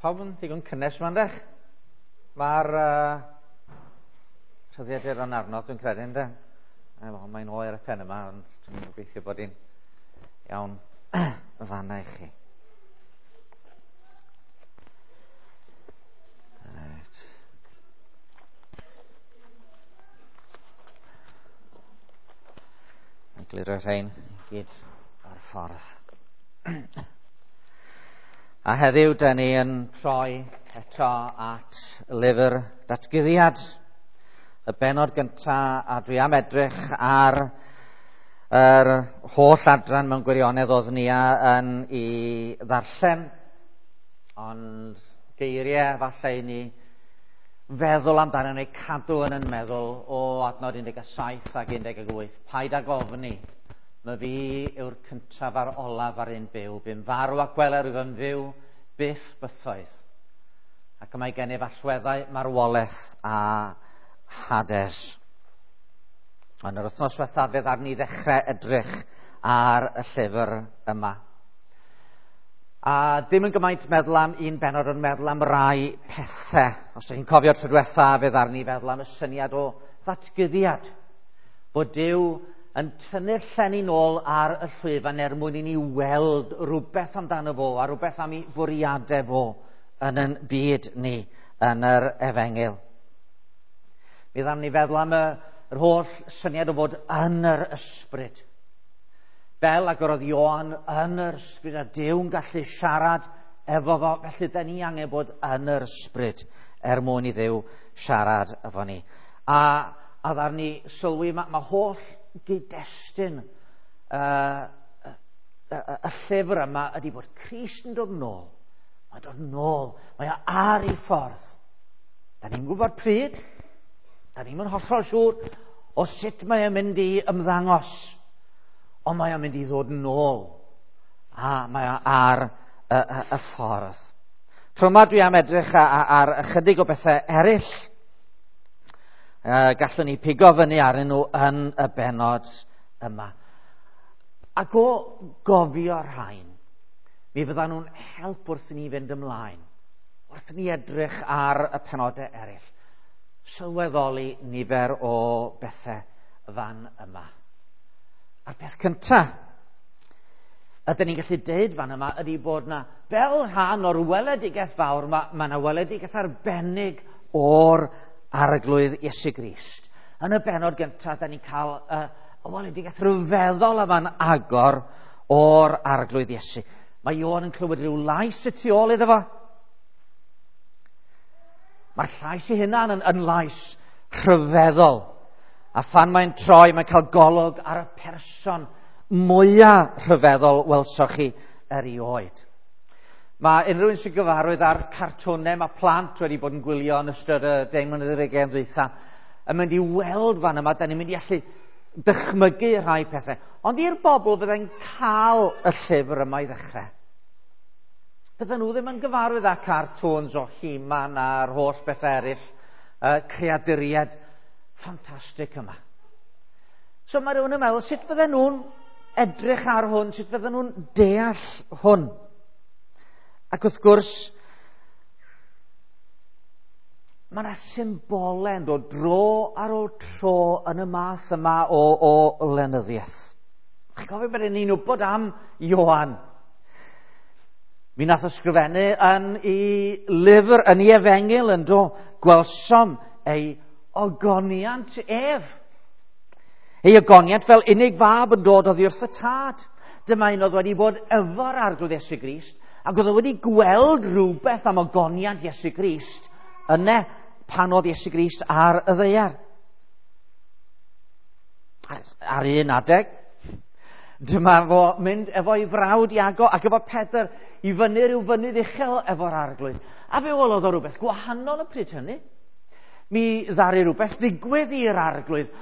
Pawb yn ddigon cynnes yma, yndech? Mae'r rhyddiaduron arno, dwi'n credu, ynde? Mae'n oer y pen yma, ond dwi'n gobeithio bod hi'n iawn fanna i chi. Right. Egluro rhain i gyd ar ffordd. A heddiw, da ni yn troi eto at lyfr Datguddiad, y bennod gyntaf, a dwi am edrych ar yr holl adran mewn gwirionedd oedd Nia yn ei ddarllen, ond geiriau falle i ni feddwl amdano neu cadw yn yn meddwl o adnod 17 ac 18. Paid ag ofni, mae fi yw'r cyntaf a'r olaf ar un byw. Bu'n farw a gweler rwyf yn fyw byth bythoedd. Ac y mae gennyf allweddau marwolaeth a Hades. Ond yr wythnos diwethaf fe ddaru ni ddechrau edrych ar y llyfr yma. A dim yn gymaint meddwl am un bennod, ond meddwl am rai pethau. Os ydych chi'n cofio tro diwetha, fe ddaru ni feddwl am y syniad o ddatguddiad. Bod Duw yn tynnu'r llenni nôl ar y llwyfan er mwyn i ni weld rhywbeth amdano fo a rhywbeth am ei fwriadau fo yn yn byd ni yn yr efengyl. Mi ddaru ni feddwl am yr holl syniad o fod yn yr ysbryd. Fel ag yr oedd Ioan yn yr ysbryd a Duw'n gallu siarad efo fo, felly da ni angen bod yn yr ysbryd er mwyn i Dduw siarad efo ni. A ddaru ni sylwi, mae holl gyd-destun y llyfr yma ydy bod Crist yn dod nôl. Mae'n dod nôl. Mae o ar ei ffordd. Da ni'n gwybod pryd. Da ni'n hollol siŵr o sut mae o'n mynd i ymddangos. Ond mae o'n mynd i ddod nôl. A mae o ar y ffordd. Tro yma dwi am edrych ar ychydig o bethau eraill. Gallwn ni pigo fyny arnyn nhw yn y bennod yma. Ac o gofio rhain, mi fyddan nhw'n help wrth i ni fynd ymlaen, wrth i ni edrych ar y penodau eraill, sylweddoli nifer o bethau fan yma. A'r peth cyntaf ydyn ni'n gallu deud fan yma ydy bod na, fel rhan o'r weledigaeth fawr, mae yna weledigaeth arbennig o'r Arglwydd Iesu Grist. Yn y bennod gyntaf, da ni'n cael y weledigaeth rhyfeddol yma'n agor o'r Arglwydd Iesu. Mae Ioan yn clywed rhyw lais y tu ôl iddo fo. Mae'r llais ei hunan yn lais rhyfeddol. A phan mae'n troi, mae'n cael golwg ar y person mwyaf rhyfeddol welsoch chi erioed. Mae unrhyw un sy'n gyfarwydd â'r cartwnau, mae plant wedi bod yn gwylio yn ystod y 10 mlynedd ar hugain dwytha, yn mynd i weld fan yma, da ni'n mynd i allu dychmygu rhai pethau. Ond i'r bobl fyddai'n cael y llyfr yma i ddechrau, fydden nhw ddim yn gyfarwydd â cartoons o He-Man a'r holl bethau eraill, creaduriaid ffantastig yma. So mae rhywun yn meddwl, sut fydden nhw'n edrych ar hwn, sut fydden nhw'n deall hwn? Ac wrth gwrs, mae yna symbolau yn dod dro ar ôl tro yn y math yma o lenyddiaeth. Chi'n cofio bod ni'n wybod am Ioan? Mi nath ysgrifennu yn ei lyfr, yn ei efengyl yn do, gwelsom ei ogoniant ef. Ei ogoniant fel unig fab yn dod oddi wrth y tad. Dyma un oedd wedi bod efo'r Arglwydd Iesu Grist, ac oedd o wedi gweld rhywbeth am ogoniant Iesu Grist yna pan oedd Iesu Grist ar y ddaear. Ar un adeg, dyma fo mynd efo'i frawd Iago ac efo Pedr i fyny rhyw fynydd uchel efo'r Arglwydd. A fe welodd o rhywbeth gwahanol y pryd hynny. Mi ddaru rhywbeth ddigwydd i'r Arglwydd.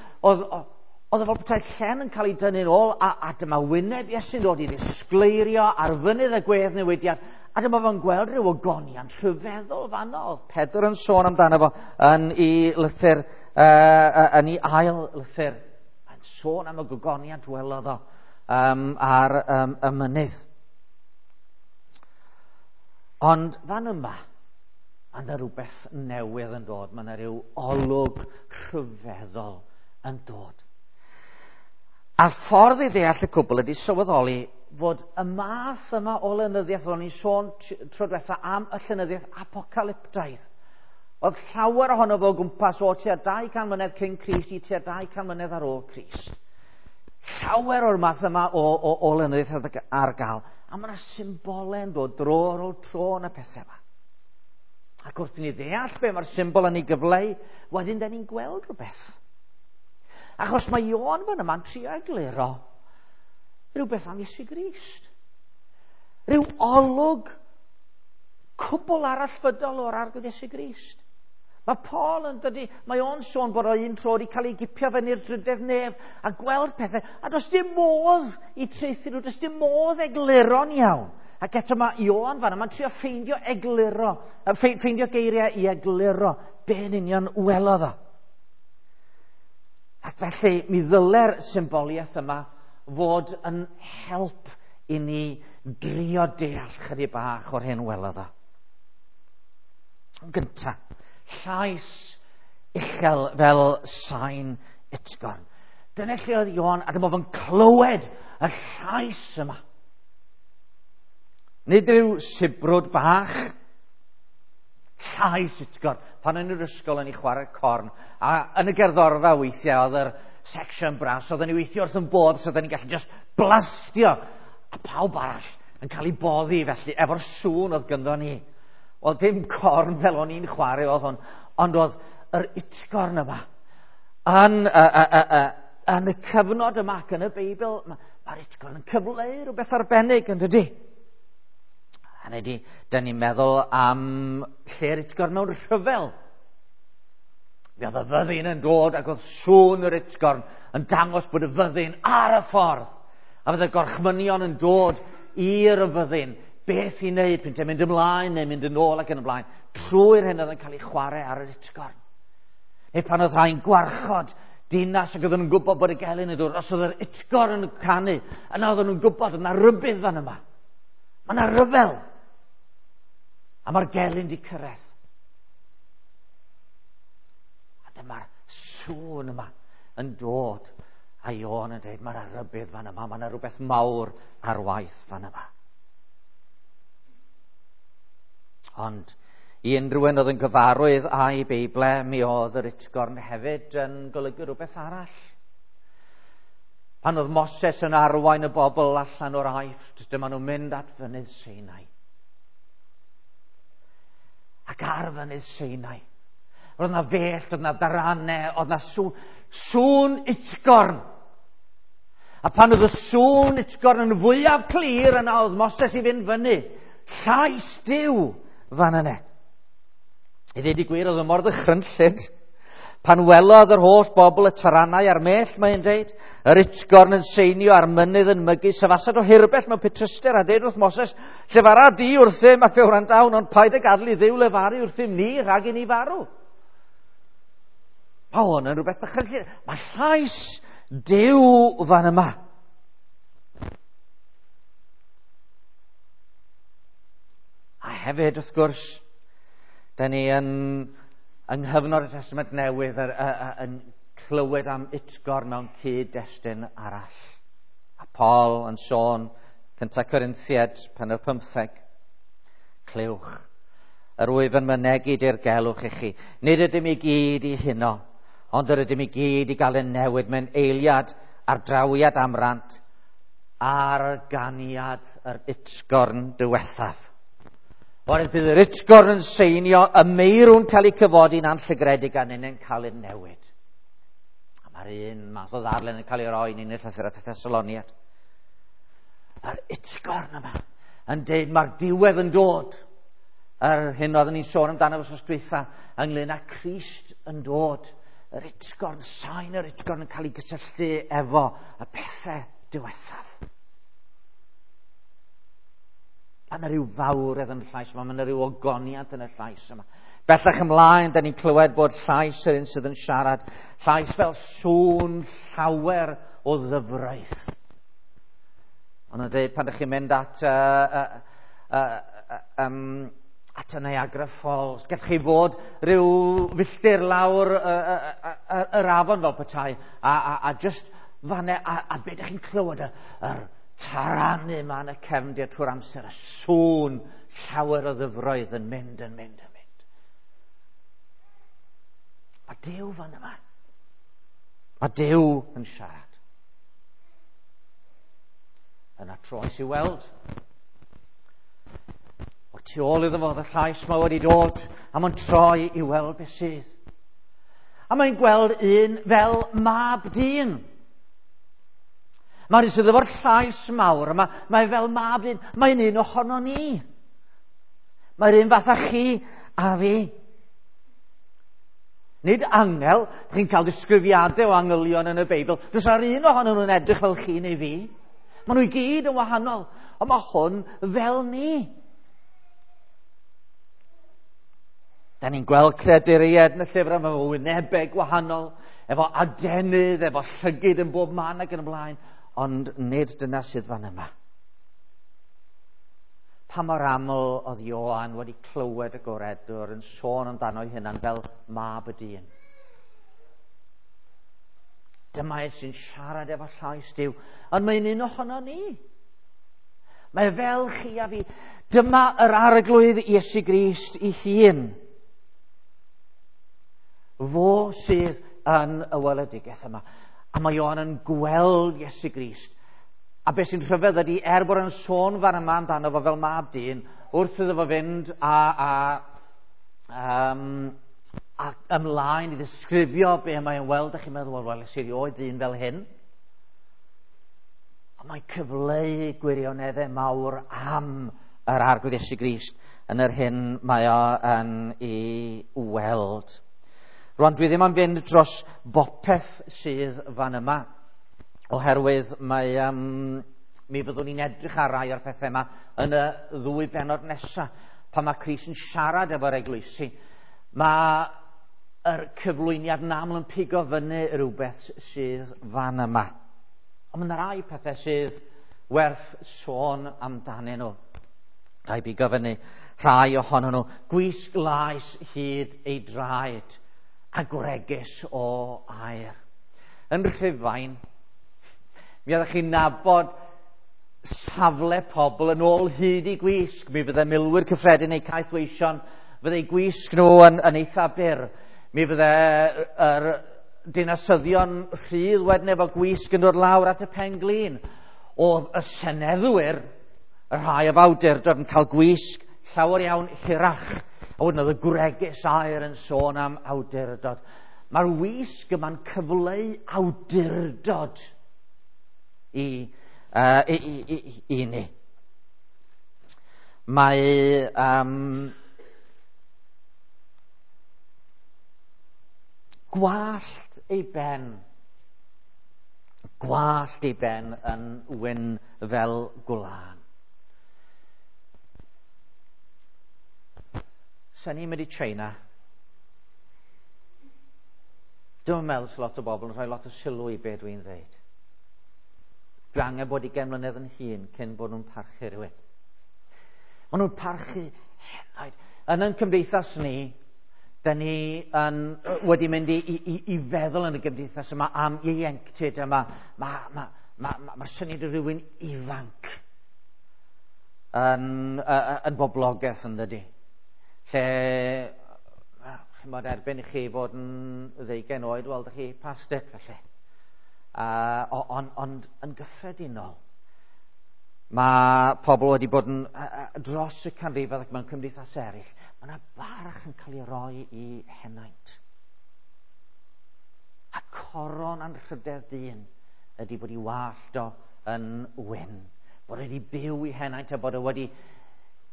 Oedd o fel petai llen yn cael ei dynnu'n ôl, a dyma wyneb Iesu'n dod i ddisgleirio ar fynydd y gwedd newidiad, a dyma fo'n gweld rhyw ogoniant rhyfeddol fanno. Oedd Pedr yn sôn amdano fo yn ei lythyr, yn ei ail lythyr, yn sôn am y gogoniant welodd o ar y mynydd. Ond fan yma, Mae yna rhywbeth newydd yn dod. Mae yna rhyw olwg rhyfeddol yn dod. A'r ffordd i ddeall y cwbl ydy sylweddoli fod y math yma o lenyddiaeth, o'n i'n sôn tro diwetha am y llenyddiaeth apocalyptaidd. Oedd llawer ohono fo o gwmpas o tua 200 mlynedd cyn Crist i tua 200 mlynedd ar ôl Crist. Llawer o'r math yma o lenyddiaeth ar gael. A mae yna symbolau yn dod dro ar ôl tro yn y pethau yma. Ac wrth i ni ddeall be mae'r symbol yn ei gyfleu, wedyn da ni'n gweld rhywbeth. Achos mae Ioan fan yma'n trio egluro rhywbeth am Iesu Grist. Rhyw olwg cwbl arallfydol o'r Arglwydd Iesu Grist. Mae Paul yn dydy, mae o'n sôn bod o un tro wedi cael ei gipio fyny'r drydedd nef a gweld pethau, a does dim modd i traethu nhw, does dim modd egluro'n iawn. Ac eto mae Ioan fan yma'n trio ffeindio egluro, ffeindio geiriau i egluro be'n union welodd o. Ac felly mi ddyle'r symboliaeth yma fod yn help i ni drio deall chydig bach o'r hyn welodd o. Yn gynta, llais uchel fel sain utgorn. Dyna lle oedd Ioan, a dyma fo'n clywed y llais yma. Nid rhyw sibrwd bach, llais utgorn. Pan yn yr ysgol yn ei chwarae corn, a yn y gerddorfa weithiau oedd yr section brass, oedden ni weithio wrth yn bodd, so oedden ni'n gallu just blastio, a pawb arall yn cael ei boddi felly, efo'r sŵn oedd gynddo ni. Wel, dim corn fel o'n i'n chwarae oedd hwn, ond oedd yr utgorn yma. Yn y cyfnod yma ac yn y Beibl, mae'r utgorn yn cyfleu rhywbeth arbennig, yn dydy? Hynny ydy, dyn ni'n meddwl am lle'r utgorn mewn rhyfel. Mi oedd y fyddin yn dod ac oedd sŵn yr utgorn yn dangos bod y fyddin ar y ffordd. A fydd y gorchmynion yn dod i'r fyddin, beth i wneud, pwynt mynd ymlaen neu mynd yn ôl ac yn y blaen, trwy'r hyn oedd yn cael ei chwarae ar yr utgorn. Neu pan oedd rhai'n gwarchod dinas ac oedden nhw'n gwybod bod y gelyn yn dod, os oedd yr utgorn yn canu, yna oedden nhw'n gwybod yna rybudd fan yma. Mae yna ryfel. A mae'r gelyn di cyrraedd. A dyma'r sŵn yma yn dod. A Ioan yn dweud, mae yna rybudd fan yma, mae yna rhywbeth mawr ar waith fan yma. Ond i unrhyw un oedd yn gyfarwydd â'i Beible, mi oedd yr utgorn hefyd yn golygu rhywbeth arall. Pan oedd Moses yn arwain y bobl allan o'r Aifft, dyma nhw'n mynd at fynydd Sinai. Ac ar fynydd Sinai, roedd yna fellt, oedd yna daranau, oedd yna sŵn utgorn. A pan oedd y sŵn utgorn yn fwyaf clir, yna oedd Moses i fynd fyny. Llais Duw fan yna. I ddweud y gwir, oedd y mor ddychrynllyd. Pan welodd yr holl bobl y taranau a'r mellt, mae'n dweud, yr utgorn yn seinio a'r mynydd yn mygu, sefasad o hirbell mewn petryster a deud wrth Moses, llefara di wrthym ac fe wrandawn, ond paid ag gadael i Dduw lefaru wrthym ni rhag i ni farw. Mae hwn yn rhywbeth dychrynllyd. Mae llais Duw fan yma. A hefyd, wrth gwrs, da ni yn yng nghyfnod y Testament Newydd yn clywed am utgorn mewn cyd-destun arall. A Paul yn sôn, 1 Corinthiaid, pennod 15, clywch, yr wyf yn mynegi dirgelwch i chi. Nid ydym i gyd i huno, ond yr ydym i gyd i gael ein newid mewn eiliad ar drawiad amrant ar ganiad yr utgorn diwethaf. Oherwydd bydd yr utgorn yn seinio, y meirw'n cael ei cyfodi'n anllygredig a ninnau'n cael ei newid. A mae'r un math o ddarllen yn cael ei roi ni'n y llythyr at y Thessaloniad. Yr utgorn yma yn deud mae'r diwedd yn dod. Yr hyn oeddwn ni'n sôn amdano wythnos dwytha ynglyn â Crist yn dod. Yr utgorn, sain yr utgorn yn cael ei gysylltu efo y pethau diwethaf. Mae yna rhyw fawredd yn y llais yma, mae yna rhyw ogoniant yn y llais yma. Bellach ymlaen, da ni'n clywed bod llais yr un sydd yn siarad, llais fel sŵn llawer o ddyfraith. Ond yn dweud, pan ydych chi'n mynd at at y Niagara Falls. Gallwch chi fod rhyw filltir lawr yr afon fel petai, a just fanne, a be ydych chi'n clywed, yr taranu yma yn y cefndir trwy'r amser, y sŵn llawer o ddyfroedd yn mynd, yn mynd, yn mynd. Mae Duw fan yma. Mae Duw yn siarad. Yna troes i weld. O'r tu ôl iddo fo, y llais mae wedi dod, a mae'n troi i weld beth sydd. A mae'n gweld un fel mab dyn. Mae'n sydd efo'r llais mawr, a mae fel mab dyn, mae'n un ohono ni. Mae'r un fath â chi a fi. Nid angel, chi'n cael disgrifiadau o angylion yn y Beibl, does ar un ohonyn nhw'n edrych fel chi neu fi. Maen nhw i gyd yn wahanol, ond mae hwn fel ni. Da ni'n gweld creaduriaid yn y llyfr yma efo wynebau gwahanol, efo adenydd, efo llygid yn bob man ac yn y blaen, ond nid dyna sydd fan yma. Pa mor aml oedd Ioan wedi clywed y goredwr yn sôn amdano ei hunan fel mab y dyn. Dyma e sy'n siarad efo llais Duw, ond mae'n un ohono ni. Mae fel chi a fi. Dyma yr Arglwydd Iesu Grist ei hun. Fo sydd yn y weledigaeth yma. A mae Ioan yn gweld Iesu Grist. A beth sy'n rhyfedd ydy, er bod yn sôn fan yma amdano fo fel mab dyn, wrth iddo fo fynd a ymlaen i ddisgrifio be mae'n weld, a chi'n meddwl, wel, es i erioed ddyn fel hyn. Ond mae'n cyfleu gwirioneddau mawr am yr Arglwydd Iesu Grist yn yr hyn mae o yn ei weld. Rwan, dwi ddim am fynd dros bopeth sydd fan yma, oherwydd mae, mi fyddwn ni'n edrych ar rai o'r pethau yma yn y ddwy bennod nesaf, pan mae Crist yn siarad efo'r eglwysi. Mae yr cyflwyniad yn aml yn pigo fyny rhywbeth sydd fan yma. Ond mae yna rai pethau sydd werth sôn amdanyn nhw. Rhaid pigo fyny rhai ohonyn nhw. Gwisg laes hyd ei draed a gwregys o aer. Yn Rhufain, mi oeddech chi'n nabod safle pobl yn ôl hyd i gwisg. Mi fydde milwyr cyffredin neu caethweision, fydde eu gwisg nhw yn eitha byr. Mi fydde yr dinasyddion rhydd wedyn efo gwisg yn dod lawr at y pen-glin. Oedd y seneddwyr, y rhai o awdurdod, yn cael gwisg llawer iawn hirach. A wedyn oedd y gwregys aer yn sôn am awdurdod. Mae'r wisg yma'n cyfleu awdurdod i ni. Mae gwallt ei ben, gwallt ei ben yn wyn fel gwlân. Sa'n ni'n mynd i China. Dwi'n meddwl lot o bobl yn rhoi lot o sylw i be dwi'n dweud. Dwi angen bod 20 mlynedd yn hŷn cyn bod nhw'n parchu rhywun. Maen nhw'n parchu henaid. Yn ein cymdeithas ni, da ni wedi mynd i feddwl yn y gymdeithas yma am ieuenctid yma. Mae'r syniad o rhywun ifanc yn boblogaeth yn dydi. Lle, chimod, erbyn i chi fod yn 20 oed, wel, dych chi past it, felly. Ond yn gyffredinol, mae pobl wedi bod yn dros y canrifoedd ac mewn cymdeithas eraill, mae yna barch yn cael ei roi i henaint. A coron anrhydedd dyn ydy bod ei wallt o yn wyn, bod wedi byw i henaint a bod o wedi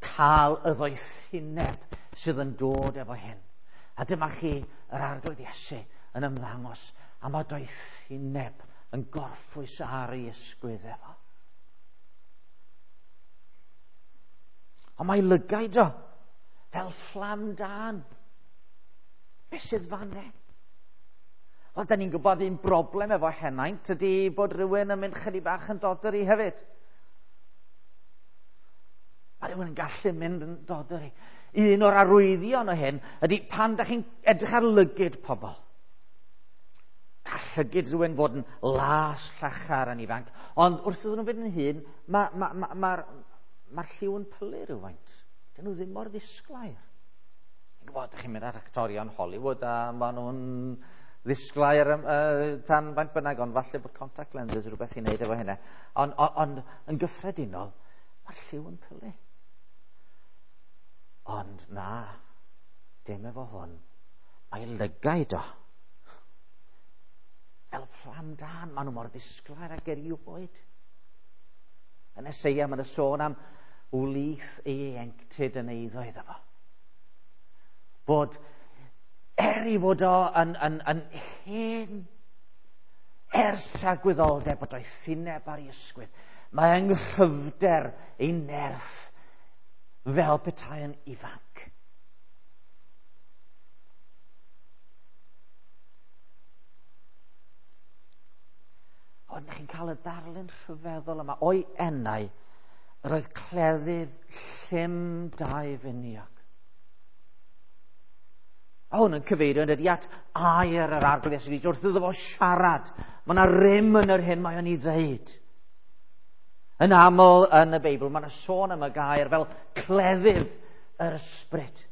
cael y ddoethineb sydd yn dod efo hyn. A dyma chi yr Arglwydd Iesu yn ymddangos, a mae doethineb yn gorffwys ar ei ysgwydd efo. Ond mae lygaid o fel fflam dân. Be sydd fan e? Wel, da ni'n gwybod un broblem efo henaint ydy bod rhywun yn mynd chydig bach yn doddery hefyd. Mae rhywun yn gallu mynd yn doddery. Un o'r arwyddion o hyn ydy pan da chi'n edrych ar lygid pobl. Gall llygid rhywun fod yn las llachar yn ifanc, ond wrth iddyn nhw fynd yn hŷn, mae'r lliw yn pylu rhywfaint. Dyn nhw ddim mor ddisglair. Chi'n gwybod, chi'n mynd ar actorion Hollywood a maen nhw'n ddisglair tan faint bynnag, ond falle bod contact lenses rhywbeth i wneud efo hynna. Ond yn gyffredinol, mae'r lliw yn pylu. Ond na, dim efo hwn. Mae lygaid o. Fel fflam dân, maen nhw mor ddisglair ag erioed. Yn Eseia, mae'n sôn am wlith ieuenctid yn eiddo iddo fo. Bod, er i fod o yn hen, ers tragwyddoldeb, bod o'i thineb ar ei ysgwydd, mae yng nghryfder ei nerth fel petai yn ifanc. Ond chi'n cael y darlun rhyfeddol yma o'i enau, yr oedd cleddyf llym dau finiog. A hwn yn cyfeirio yn ydy at air yr Arglwydd Iesu Grist wrth iddo fo siarad. Mae yna rym yn yr hyn mae o'n ei ddeud. Yn aml yn y Beibl, mae yna sôn am y gair fel cleddyf yr ysbryd.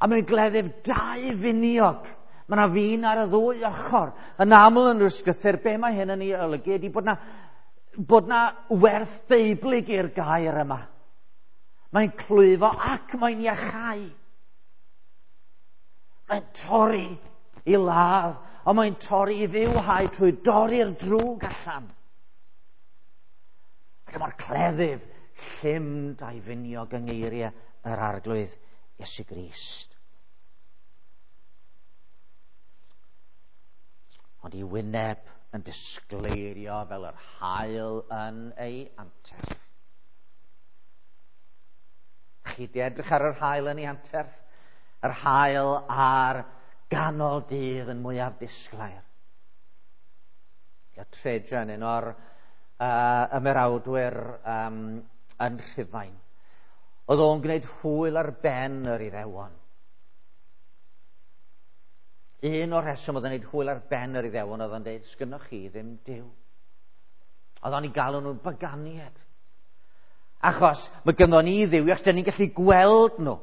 A mae'n gleddyf dau finiog. Mae yna fin ar y ddwy ochr. Yn aml yn yr ysgrythur, be mae hyn yn ei olygu ydy bod na werth beiblig i'r gair yma. Mae'n clwyfo ac mae'n iachau. Mae'n torri i ladd, ond mae'n torri i fywhau trwy dorri'r drwg allan. A dyma'r cleddyf llym dau finiog yng ngeiriau yr Arglwydd Iesu Grist. Ond i wyneb yn disgleirio fel yr haul yn ei anterth. Chi di edrych ar yr haul yn ei anterth? Yr haul ar ganol dydd yn mwyaf disglair. Ia, Trajan, un o'r ymerawdwyr yn Rhufain. Oedd o'n gwneud hwyl ar ben yr Iddewon. Un o'r rheswm oedd o'n gwneud hwyl ar ben yr Iddewon oedd o'n dweud, sgynnoch chi ddim Duw. Oedd o'n ei galw nhw'n baganiad. Achos mae gynnon ni Dduw, achos da ni'n gallu gweld nhw.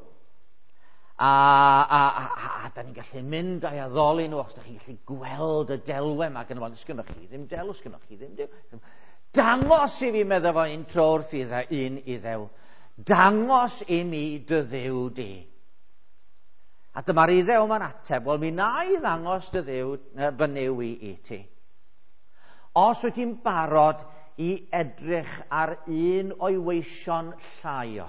A da ni'n gallu mynd a'i addoli nhw, achos da chi'n gallu gweld y delwe yma gynno fo. Sgynnoch chi ddim delw, sgynnoch chi ddim Duw. Dangos i fi, medda fo un tro wrth un Iddew. Dangos i mi dy Dduw di. A dyma'r Iddew yma'n ateb, wel mi na i ddangos dy Dduw, fy Nuw i ti. Os wyt ti'n barod i edrych ar un o'i weision llai o.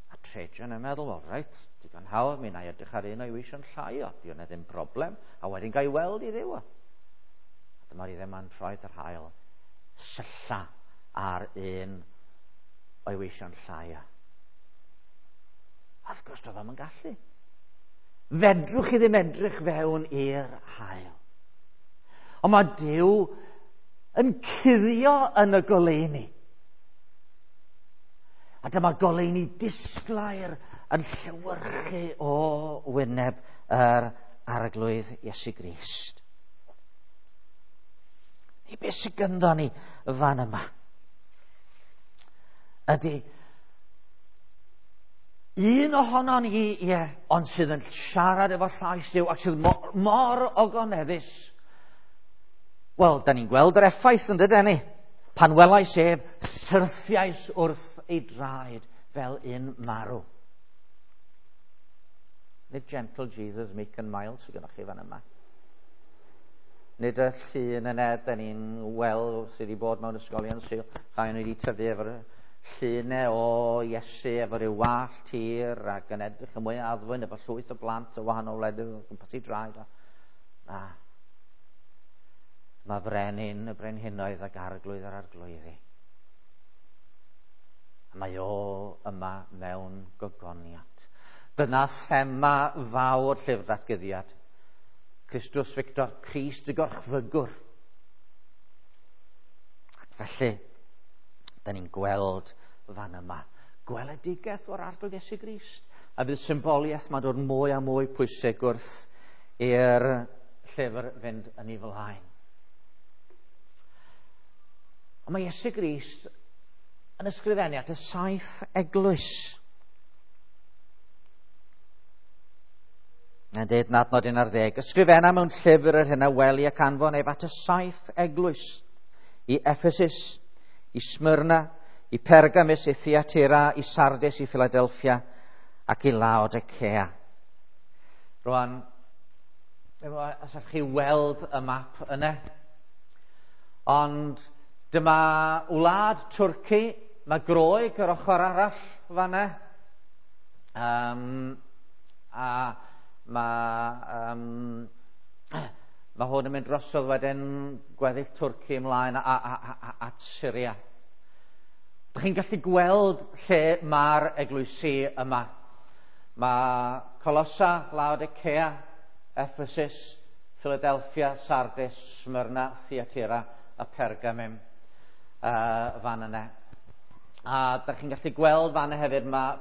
A Trajan yn meddwl, wel reit, digon hawdd, mi na i edrych ar un o'i weision llai o, di hwnna ddim broblem, a wedyn gael weld i Dduw o. A dyma'r Iddew yma'n troi yr haul, sylla ar un o'i weision llai o. A wrth gwrs, doedd o'm yn gallu. Fedrwch chi ddim edrych fewn i'r haul. Ond mae Duw yn cuddio yn y goleuni. A dyma goleuni disglair yn llewyrchu o wyneb yr Arglwydd Iesu Grist. Neu beth sydd gynddo ni fan yma ydy un ohonon ni, ie, ond sydd yn siarad efo llais Duw ac sydd mor ogoneddus. Wel, da ni'n gweld yr effaith yn dydyn ni. Pan welais ef, syrthiais wrth ei draed fel un marw. Nid gentle Jesus, meek and mild sydd gennych chi fan yma. Nid y llun yna, da ni'n weld sydd wedi bod mewn ysgolion Sul, rhai o'n wedi tyfu efo'r llunau o Iesu efo ryw wallt hir ac yn edrych yn mwy addfwyn efo llwyth o blant o wahanol wledydd o gwmpas ei draed. Na. Mae frenin y brenhinoedd ac arglwydd yr arglwyddi. A mae o yma mewn gogoniant. Dyna thema fawr llyfr Datguddiad. Christus Victor, Crist y gorchfygwr. Ac felly, da ni'n gweld fan yma Gweledigaeth o'r Arglwydd Iesu Grist. A bydd symboliaeth mae'n dod mwy a mwy pwysig wrth i'r llyfr fynd yn ei flaen. Ond mae Iesu Grist yn ysgrifennu at y saith eglwys. Mae'n dweud yn adnod 11, "Ysgrifenna mewn llyfr yr hyn a weli ac anfon ef at y saith eglwys, i Ephesus, i Smyrna, i Pergamus, i Thyatira, i Sardis, i Philadelphia ac i Laodicea." Rwan, os allwch chi weld y map yna, ond dyma wlad Twrci, mae Groeg yr ochr arall fanna, a mae hwn yn mynd drosodd wedyn gweddill Twrci ymlaen at Syria. Dych chi'n gallu gweld lle mae'r eglwysi yma. Mae Colossa, Laodicea, Ephesus, Philadelphia, Sardis, Smyrna, Thyatira a Pergamum fan yna. A dych chi'n gallu gweld fan yna hefyd mae